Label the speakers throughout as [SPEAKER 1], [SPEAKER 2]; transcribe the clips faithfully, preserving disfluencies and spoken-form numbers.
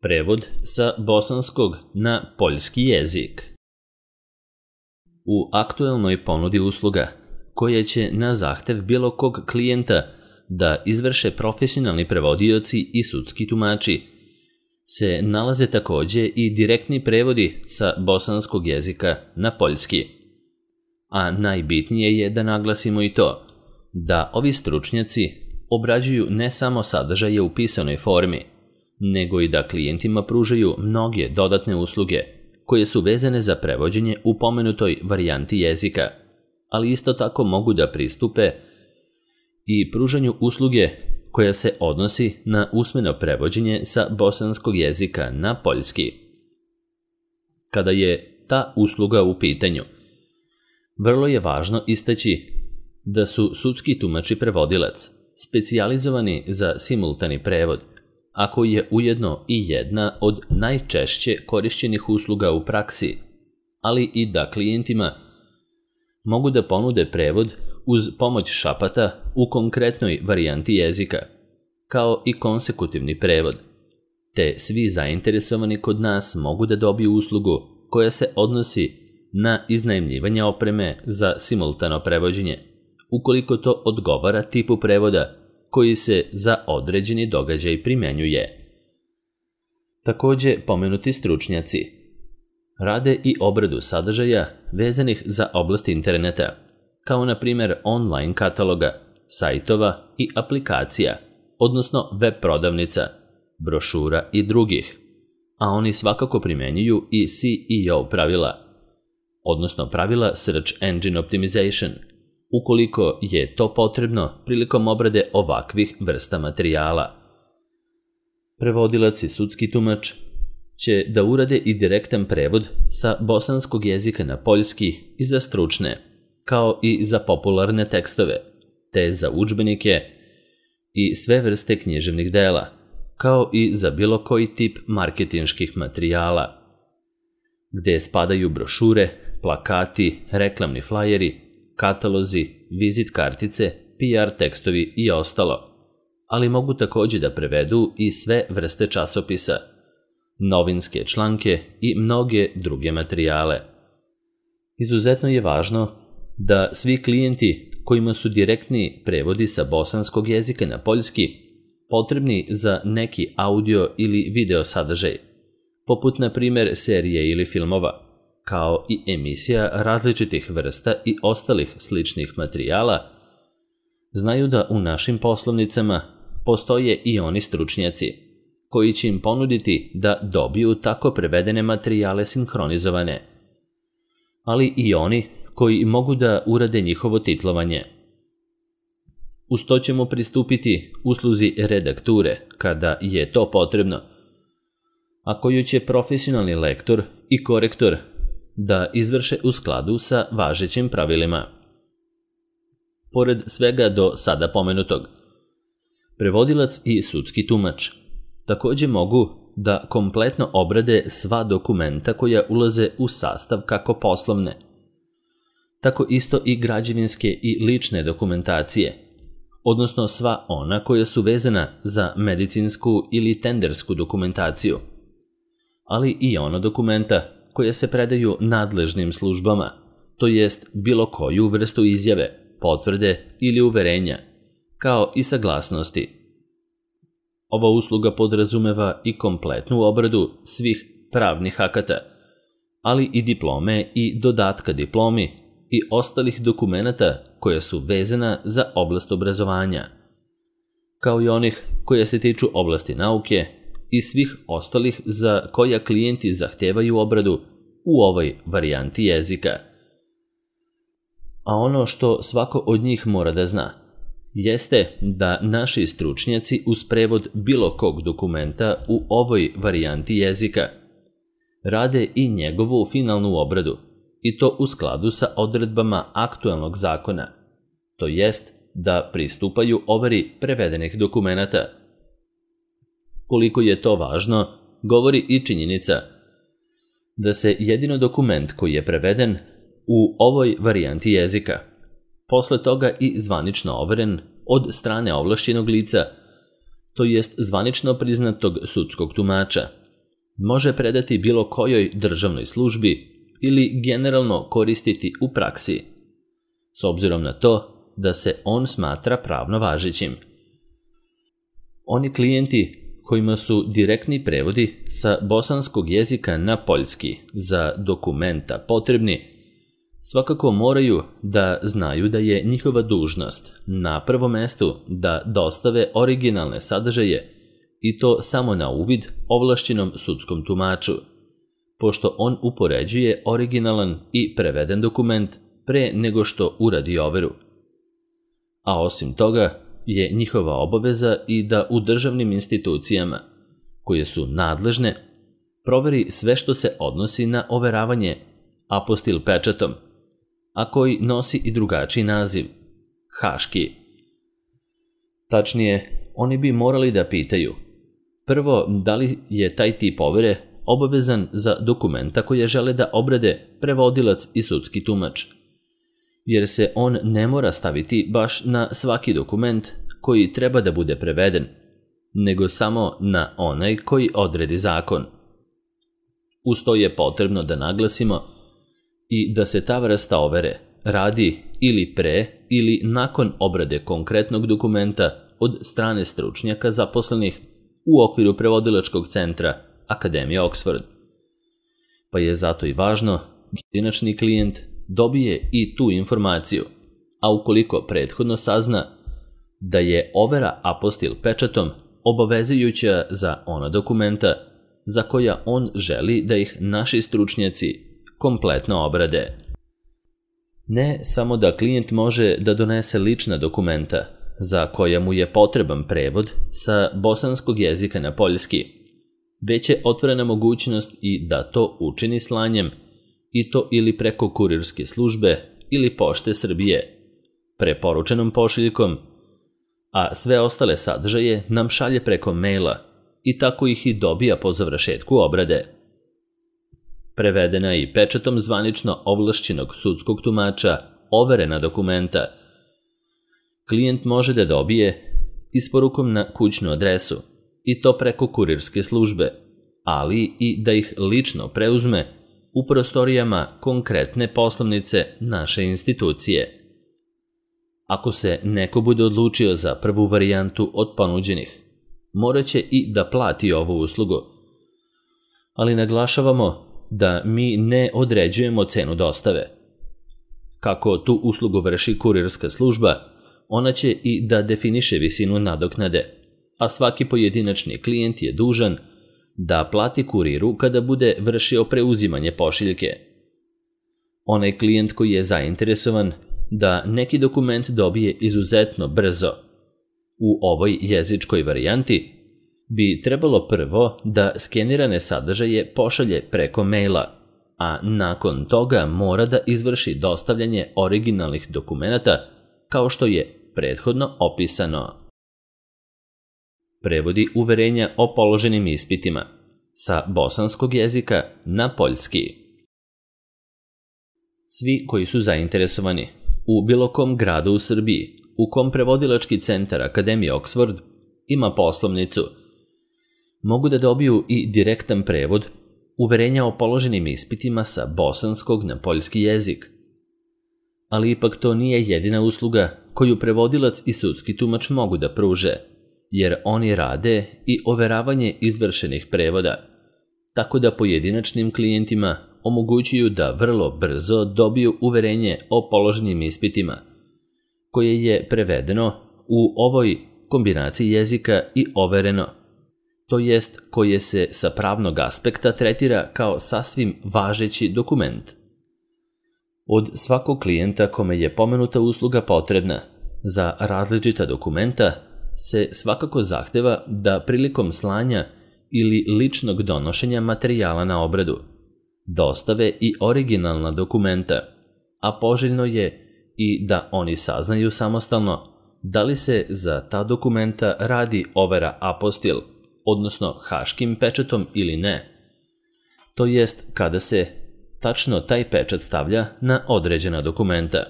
[SPEAKER 1] Prevod sa bosanskog na poljski jezik. U aktuelnoj ponudi usluga, koje će na zahtev bilo kog klijenta da izvrše profesionalni prevodioci i sudski tumači, se nalaze takođe i direktni prevodi sa bosanskog jezika na poljski. A najbitnije je da naglasimo i to da ovi stručnjaci obrađuju ne samo sadržaje u pisanoj formi, nego i da klijentima pružaju mnoge dodatne usluge koje su vezane za prevođenje u pomenutoj varijanti jezika, ali isto tako mogu da pristupe i pružanju usluge koja se odnosi na usmeno prevođenje sa bosanskog jezika na poljski. Kada je ta usluga u pitanju, vrlo je važno istaći da su sudski tumač i prevodilac specijalizovani za simultani prevod, a koji je ujedno i jedna od najčešće korišćenih usluga u praksi, ali i da klijentima mogu da ponude prevod uz pomoć šapata u konkretnoj varijanti jezika, kao i konsekutivni prevod, te svi zainteresovani kod nas mogu da dobiju uslugu koja se odnosi na iznajmljivanje opreme za simultano prevođenje, ukoliko to odgovara tipu prevoda koji se za određeni događaj primenjuje. Takođe, pomenuti stručnjaci rade i obradu sadržaja vezanih za oblast interneta, kao na primjer online kataloga, sajtova i aplikacija, odnosno web prodavnica, brošura i drugih, a oni svakako primenjuju i S E O pravila, odnosno pravila Search Engine Optimization, ukoliko je to potrebno prilikom obrade ovakvih vrsta materijala. Prevodilac i sudski tumač će da urade i direktan prevod sa bosanskog jezika na poljski i za stručne, kao i za popularne tekstove, te za udžbenike i sve vrste književnih dela, kao i za bilo koji tip marketinških materijala, gde spadaju brošure, plakati, reklamni flajeri, katalozi, vizit kartice, P R tekstovi i ostalo, ali mogu takođe da prevedu i sve vrste časopisa, novinske članke i mnoge druge materijale. Izuzetno je važno da svi klijenti kojima su direktni prevodi sa bosanskog jezika na poljski potrebni za neki audio ili video sadržaj, poput na primjer serije ili filmova, kao i emisija različitih vrsta i ostalih sličnih materijala, znaju da u našim poslovnicama postoje i oni stručnjaci koji će im ponuditi da dobiju tako prevedene materijale sinhronizovane, ali i oni koji mogu da urade njihovo titlovanje. Uz to ćemo pristupiti usluzi redakture kada je to potrebno, a koju će profesionalni lektor i korektor da izvrše u skladu sa važećim pravilima. Pored svega do sada pomenutog, prevodilac i sudski tumač takođe mogu da kompletno obrade sva dokumenta koja ulaze u sastav kako poslovne, tako isto i građevinske i lične dokumentacije, odnosno sva ona koja su vezana za medicinsku ili tendersku dokumentaciju, ali i ona dokumenta koje se predaju nadležnim službama, to jest bilo koju vrstu izjave, potvrde ili uverenja, kao i saglasnosti. Ova usluga podrazumeva i kompletnu obradu svih pravnih akata, ali i diplome i dodatka diplomi i ostalih dokumenata koja su vezana za oblast obrazovanja, kao i onih koja se tiču oblasti nauke i svih ostalih za koja klijenti zahtevaju obradu u ovoj varijanti jezika. A ono što svako od njih mora da zna jeste da naši stručnjaci uz prevod bilo kog dokumenta u ovoj varijanti jezika rade i njegovu finalnu obradu, i to u skladu sa odredbama aktuelnog zakona, to jest da pristupaju overi prevedenih dokumenata. Koliko je to važno, govori i činjenica da se jedino dokument koji je preveden u ovoj varijanti jezika, posle toga i zvanično overen od strane ovlašćenog lica, to jest zvanično priznatog sudskog tumača, može predati bilo kojoj državnoj službi ili generalno koristiti u praksi, s obzirom na to da se on smatra pravno važećim. Oni klijenti kojima su direktni prevodi sa bosanskog jezika na poljski za dokumenta potrebni, svakako moraju da znaju da je njihova dužnost na prvom mestu da dostave originalne sadržaje i to samo na uvid ovlašćenom sudskom tumaču, pošto on upoređuje originalan i preveden dokument pre nego što uradi overu. A osim toga je njihova obaveza i da u državnim institucijama, koje su nadležne, proveri sve što se odnosi na overavanje apostil pečatom, a koji nosi i drugačiji naziv, haški. Tačnije, oni bi morali da pitaju, prvo, da li je taj tip overe obavezan za dokumenta koje žele da obrade prevodilac i sudski tumač, jer se on ne mora staviti baš na svaki dokument koji treba da bude preveden, nego samo na onaj koji odredi zakon. Uz to je potrebno da naglasimo i da se ta vrsta overe radi ili pre ili nakon obrade konkretnog dokumenta od strane stručnjaka zaposlenih u okviru prevodilačkog centra Akademije Oxford. Pa je zato i važno da pojedinačni klijent dobije i tu informaciju, a ukoliko prethodno sazna da je overa apostil pečatom obavezujuća za ona dokumenta za koja on želi da ih naši stručnjaci kompletno obrade. Ne samo da klijent može da donese lična dokumenta za koja mu je potreban prevod sa bosanskog jezika na poljski, već je otvorena mogućnost i da to učini slanjem, i to ili preko kurirske službe ili Pošte Srbije, preporučenom pošiljkom, a sve ostale sadržaje nam šalje preko maila i tako ih i dobija po završetku obrade. Prevedena i pečatom zvanično ovlašćenog sudskog tumača overena dokumenta klijent može da dobije isporukom na kućnu adresu i to preko kurirske službe, ali i da ih lično preuzme u prostorijama konkretne poslovnice naše institucije. Ako se neko bude odlučio za prvu varijantu od ponuđenih, morat će i da plati ovu uslugu. Ali naglašavamo da mi ne određujemo cenu dostave. Kako tu uslugu vrši kurirska služba, ona će i da definiše visinu nadoknade, a svaki pojedinačni klijent je dužan da plati kuriru kada bude vršio preuzimanje pošiljke. Onaj klijent koji je zainteresovan da neki dokument dobije izuzetno brzo u ovoj jezičkoj varijanti, bi trebalo prvo da skenirane sadržaje pošalje preko maila, a nakon toga mora da izvrši dostavljanje originalnih dokumenata kao što je prethodno opisano. Prevodi uverenja o položenim ispitima sa bosanskog jezika na poljski. Svi koji su zainteresovani u bilo kom gradu u Srbiji u kom prevodilački centar Akademije Oxford ima poslovnicu, mogu da dobiju i direktan prevod uverenja o položenim ispitima sa bosanskog na poljski jezik. Ali ipak to nije jedina usluga koju prevodilac i sudski tumač mogu da pruže, jer oni rade i overavanje izvršenih prevoda, tako da pojedinačnim klijentima omogućuju da vrlo brzo dobiju uverenje o položenim ispitima, koje je prevedeno u ovoj kombinaciji jezika i overeno, to jest koje se sa pravnog aspekta tretira kao sasvim važeći dokument. Od svakog klijenta kome je pomenuta usluga potrebna za različita dokumenta se svakako zahteva da prilikom slanja ili ličnog donošenja materijala na obradu dostave i originalna dokumenta, a poželjno je i da oni saznaju samostalno da li se za ta dokumenta radi overa apostil, odnosno haškim pečatom ili ne, to jest kada se tačno taj pečat stavlja na određena dokumenta.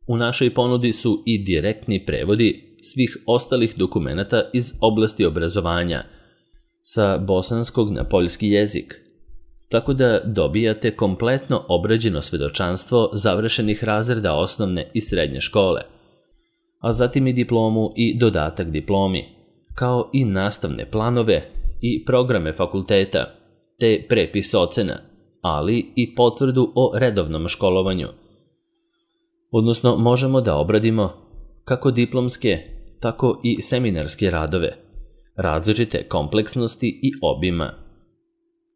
[SPEAKER 1] U našoj ponudi su i direktni prevodi svih ostalih dokumenata iz oblasti obrazovanja, sa bosanskog na poljski jezik, tako da dobijate kompletno obrađeno svedočanstvo završenih razreda osnovne i srednje škole, a zatim i diplomu i dodatak diplomi, kao i nastavne planove i programe fakulteta, te prepis ocena, ali i potvrdu o redovnom školovanju. Odnosno, možemo da obradimo kako diplomske, tako i seminarske radove, različite kompleksnosti i obima.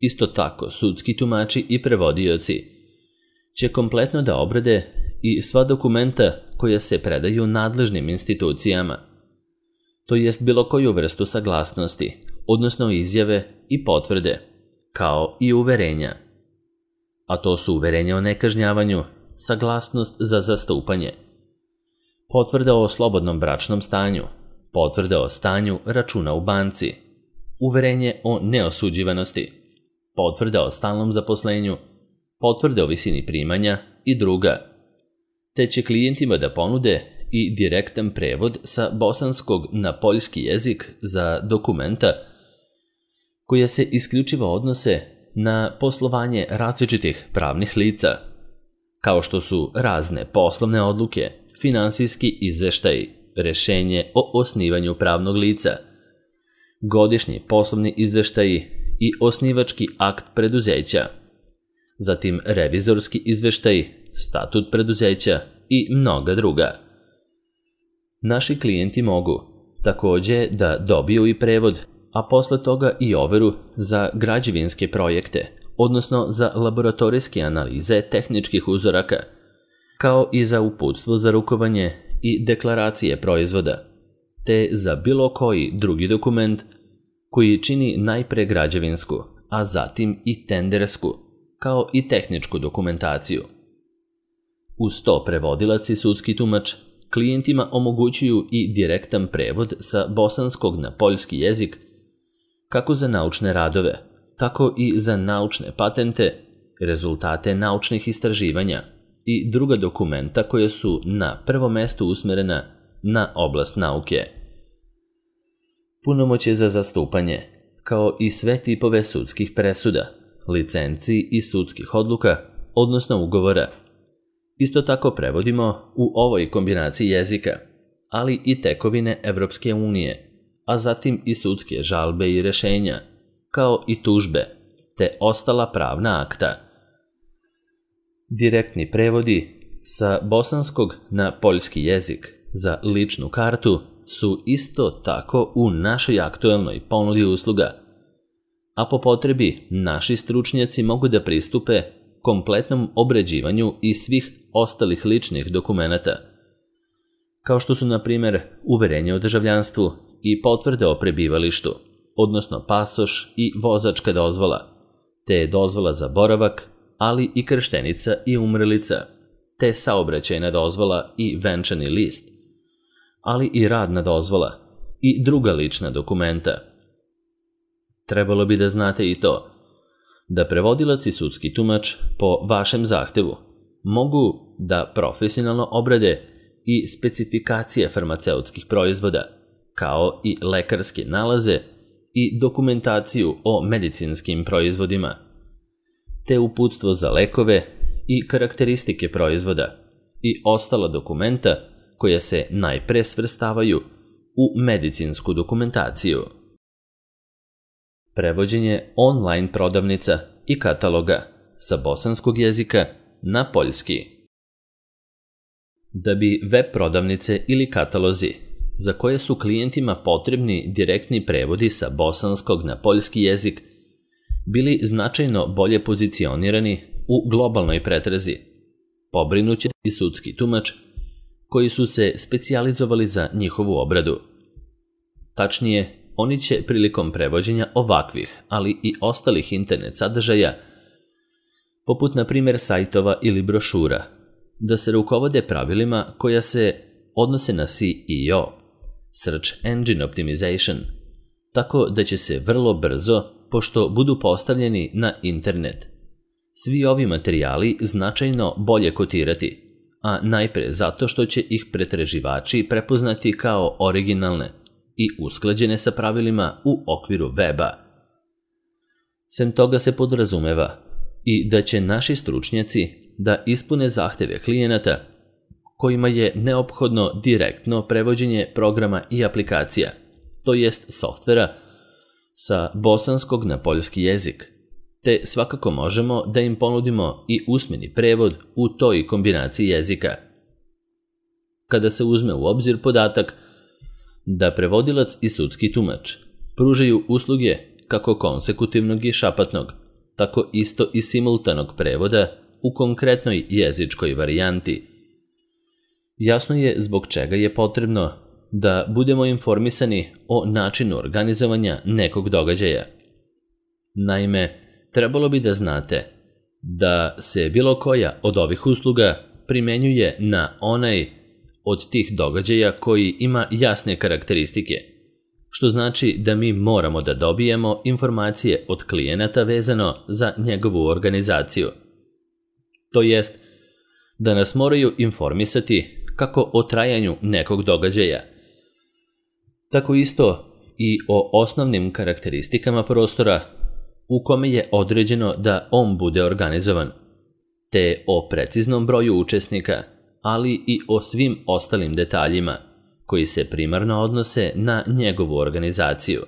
[SPEAKER 1] Isto tako, sudski tumači i prevodioci će kompletno da obrade i sva dokumenta koja se predaju nadležnim institucijama, to jest bilo koju vrstu saglasnosti, odnosno izjave i potvrde, kao i uverenja. A to su uverenja o nekažnjavanju, saglasnost za zastupanje, potvrda o slobodnom bračnom stanju, potvrda o stanju računa u banci, uverenje o neosuđivanosti, potvrda o stalnom zaposlenju, potvrde o visini primanja i druga, te će klijentima da ponude i direktan prevod sa bosanskog na poljski jezik za dokumenta koja se isključivo odnose na poslovanje različitih pravnih lica, kao što su razne poslovne odluke, finansijski izveštaji, rešenje o osnivanju pravnog lica, godišnji poslovni izveštaji i osnivački akt preduzeća, zatim revizorski izveštaj, statut preduzeća i mnoga druga. Naši klijenti mogu takođe da dobiju i prevod, a posle toga i overu za građevinske projekte, odnosno za laboratorijske analize tehničkih uzoraka, kao i za uputstvo za rukovanje i deklaracije proizvoda, te za bilo koji drugi dokument koji čini najpre građevinsku, a zatim i tendersku, kao i tehničku dokumentaciju. Uz to prevodilac i sudski tumač klijentima omogućuju i direktan prevod sa bosanskog na poljski jezik, kako za naučne radove, tako i za naučne patente, rezultate naučnih istraživanja i druga dokumenta koja su na prvo mesto usmerena na oblast nauke. Punomoćje za zastupanje, kao i sve tipove sudskih presuda, licenci i sudskih odluka, odnosno ugovora. Isto tako prevodimo u ovoj kombinaciji jezika, ali i tekovine Evropske unije, a zatim i sudske žalbe i rešenja, kao i tužbe, te ostala pravna akta. Direktni prevodi sa bosanskog na poljski jezik za ličnu kartu su isto tako u našoj aktuelnoj ponudi usluga, a po potrebi naši stručnjaci mogu da pristupe kompletnom obrađivanju i svih ostalih ličnih dokumenata, kao što su, na primer, uverenje o državljanstvu i potvrde o prebivalištu, odnosno pasoš i vozačka dozvola, te dozvola za boravak, ali i krštenica i umrlica, te saobraćajna dozvola i venčani list, ali i radna dozvola i druga lična dokumenta. Trebalo bi da znate i to, da prevodilac i sudski tumač po vašem zahtevu mogu da profesionalno obrade i specifikacije farmaceutskih proizvoda, kao i lekarske nalaze i dokumentaciju o medicinskim proizvodima, te uputstvo za lekove i karakteristike proizvoda i ostala dokumenta koja se najpre svrstavaju u medicinsku dokumentaciju. Prevođenje online prodavnica i kataloga sa bosanskog jezika na poljski. Da bi web prodavnice ili katalozi, za koje su klijentima potrebni direktni prevodi sa bosanskog na poljski jezik, bili značajno bolje pozicionirani u globalnoj pretrazi, pobrinuće i sudski tumač koji su se specijalizovali za njihovu obradu. Tačnije, oni će prilikom prevođenja ovakvih, ali i ostalih internet sadržaja, poput na primjer sajtova ili brošura, da se rukovode pravilima koja se odnose na S E O, Search Engine Optimization, tako da će se vrlo brzo, pošto budu postavljeni na internet, svi ovi materijali značajno bolje kotirati, a najpre zato što će ih pretraživači prepoznati kao originalne i usklađene sa pravilima u okviru weba, Sem toga se podrazumeva i da će naši stručnjaci da ispune zahteve klijenata kojima je neophodno direktno prevođenje programa i aplikacija, to jest softvera, sa bosanskog na poljski jezik, te svakako možemo da im ponudimo i usmeni prevod u toj kombinaciji jezika. Kada se uzme u obzir podatak da prevodilac i sudski tumač pružaju usluge kako konsekutivnog i šapatnog, tako isto i simultanog prevoda u konkretnoj jezičkoj varijanti, jasno je zbog čega je potrebno da budemo informisani o načinu organizovanja nekog događaja. Naime, trebalo bi da znate da se bilo koja od ovih usluga primenjuje na onaj od tih događaja koji ima jasne karakteristike, što znači da mi moramo da dobijemo informacije od klijenata vezano za njegovu organizaciju. To jest da nas moraju informisati kako o trajanju nekog događaja, tako isto i o osnovnim karakteristikama prostora u kome je određeno da on bude organizovan, te o preciznom broju učesnika, ali i o svim ostalim detaljima koji se primarno odnose na njegovu organizaciju.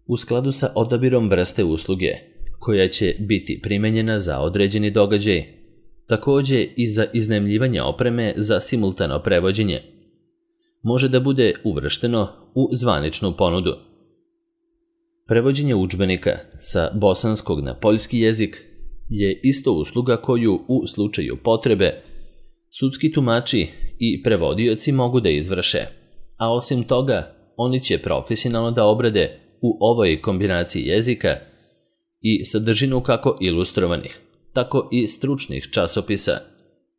[SPEAKER 1] U skladu sa odabirom vrste usluge koja će biti primenjena za određeni događaj, takođe i za iznajmljivanje opreme za simultano prevođenje, može da bude uvršteno u zvaničnu ponudu. Prevođenje udžbenika sa bosanskog na poljski jezik je isto usluga koju u slučaju potrebe sudski tumači i prevodioci mogu da izvrše, a osim toga oni će profesionalno da obrade u ovoj kombinaciji jezika i sadržinu kako ilustrovanih, tako i stručnih časopisa,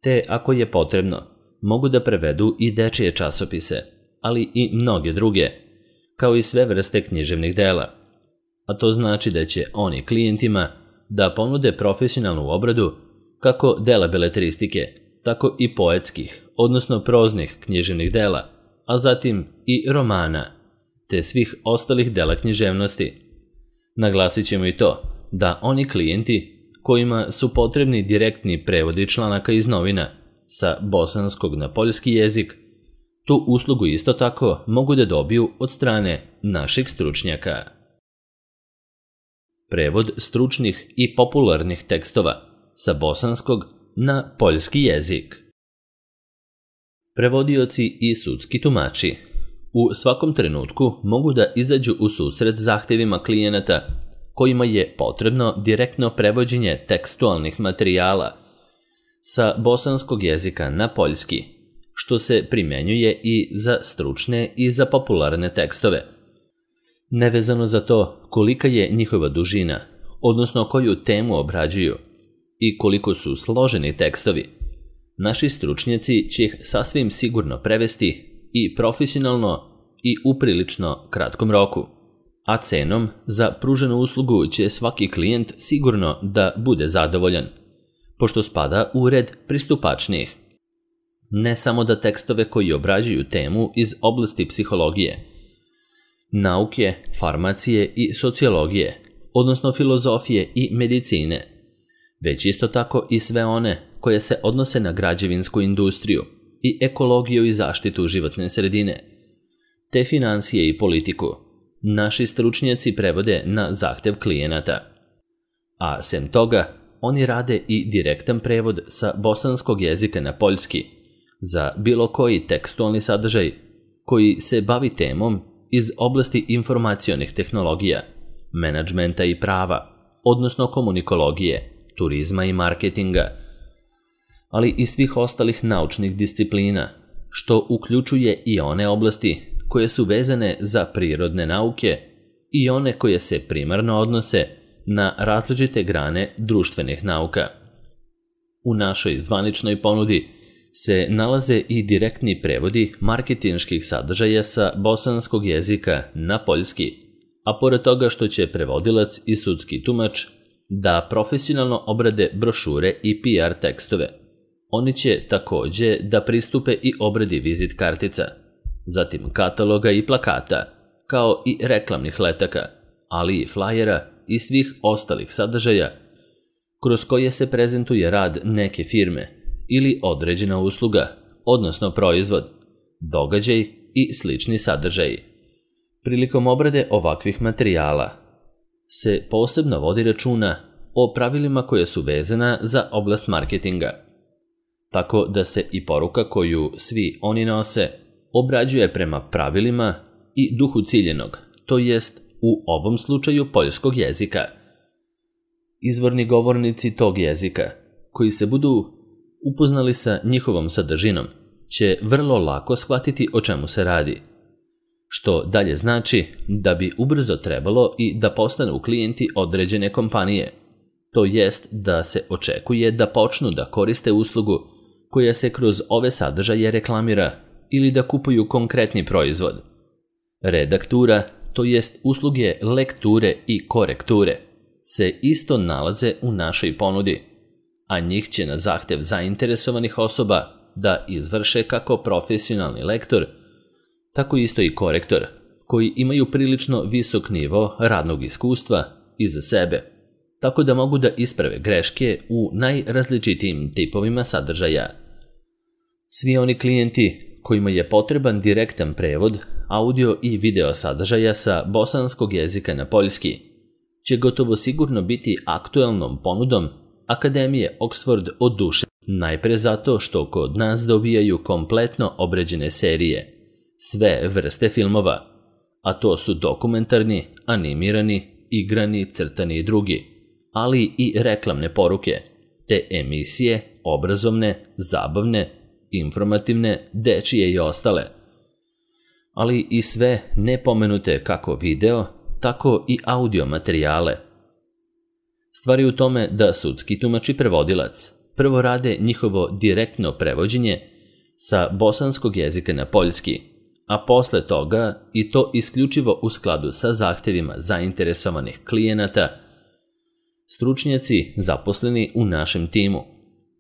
[SPEAKER 1] te ako je potrebno mogu da prevedu i dečije časopise, ali i mnoge druge, kao i sve vrste književnih dela. A to znači da će oni klijentima da ponude profesionalnu obradu kako dela beletristike, tako i poetskih, odnosno proznih književnih dela, a zatim i romana, te svih ostalih dela književnosti. Naglasit ćemo i to da oni klijenti kojima su potrebni direktni prevodi članaka iz novina sa bosanskog na poljski jezik, tu uslugu isto tako mogu da dobiju od strane naših stručnjaka. Prevod stručnih i popularnih tekstova sa bosanskog na poljski jezik. Prevodioci i sudski tumači u svakom trenutku mogu da izađu u susret zahtevima klijenata kojima je potrebno direktno prevođenje tekstualnih materijala sa bosanskog jezika na poljski, što se primenjuje i za stručne i za popularne tekstove. Nevezano za to kolika je njihova dužina, odnosno koju temu obrađuju i koliko su složeni tekstovi, naši stručnjaci će ih sasvim sigurno prevesti i profesionalno i u prilično kratkom roku, a cenom za pruženu uslugu će svaki klijent sigurno da bude zadovoljan, pošto spada u red pristupačnijih. Ne samo da tekstove koji obrađuju temu iz oblasti psihologije, nauke, farmacije i sociologije, odnosno filozofije i medicine, već isto tako i sve one koje se odnose na građevinsku industriju i ekologiju i zaštitu životne sredine, te financije i politiku, naši stručnjaci prevode na zahtev klijenata. A sem toga, oni rade i direktan prevod sa bosanskog jezika na poljski za bilo koji tekstualni sadržaj koji se bavi temom iz oblasti informacionih tehnologija, menadžmenta i prava, odnosno komunikologije, turizma i marketinga, ali i svih ostalih naučnih disciplina, što uključuje i one oblasti koje su vezane za prirodne nauke i one koje se primarno odnose na različite grane društvenih nauka. U našoj zvaničnoj ponudi se nalaze i direktni prevodi marketinških sadržaja sa bosanskog jezika na poljski, a pored toga što će prevodilac i sudski tumač da profesionalno obrade brošure i P R tekstove, oni će takođe da pristupe i obradi vizit kartica, zatim kataloga i plakata, kao i reklamnih letaka, ali i flajera i svih ostalih sadržaja kroz koje se prezentuje rad neke firme ili određena usluga, odnosno proizvod, događaj i slični sadržaji. Prilikom obrade ovakvih materijala se posebno vodi računa o pravilima koje su vezana za oblast marketinga, tako da se i poruka koju svi oni nose obrađuje prema pravilima i duhu ciljenog, to jest u ovom slučaju poljskog jezika. Izvorni govornici tog jezika, koji se budu upoznali sa njihovom sadržinom, će vrlo lako shvatiti o čemu se radi, što dalje znači da bi ubrzo trebalo i da postanu klijenti određene kompanije, to jest da se očekuje da počnu da koriste uslugu koja se kroz ove sadržaje reklamira ili da kupuju konkretni proizvod. Redaktura, to jest usluge lekture i korekture, se isto nalaze u našoj ponudi, a njih će na zahtev zainteresovanih osoba da izvrše kako profesionalni lektor, tako isto i korektor, koji imaju prilično visok nivo radnog iskustva iza sebe, tako da mogu da isprave greške u najrazličitijim tipovima sadržaja. Svi oni klijenti kojima je potreban direktan prevod audio i video sadržaja sa bosanskog jezika na poljski će gotovo sigurno biti aktuelnom ponudom Akademije Oxford od duše, najpre zato što kod nas dobijaju kompletno obrađene serije, sve vrste filmova, a to su dokumentarni, animirani, igrani, crtani i drugi, ali i reklamne poruke, te emisije, obrazovne, zabavne, informativne, dečije i ostale, ali i sve nepomenute kako video, tako i audio materijale. Stvar je u tome da sudski tumač i prevodilac prvo rade njihovo direktno prevođenje sa bosanskog jezika na poljski, a posle toga, i to isključivo u skladu sa zahtevima zainteresovanih klijenata, stručnjaci zaposleni u našem timu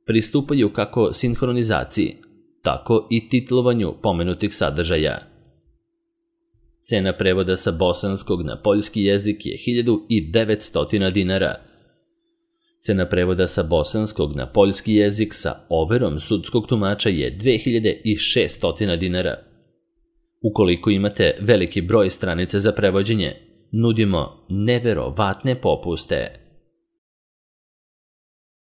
[SPEAKER 1] pristupaju kako sinhronizaciji, tako i titlovanju pomenutih sadržaja. Cena prevoda sa bosanskog na poljski jezik je hiljadu devetsto dinara. Cena prevoda sa bosanskog na poljski jezik sa overom sudskog tumača je dve hiljade šesto dinara. Ukoliko imate veliki broj stranica za prevođenje, nudimo neverovatne popuste.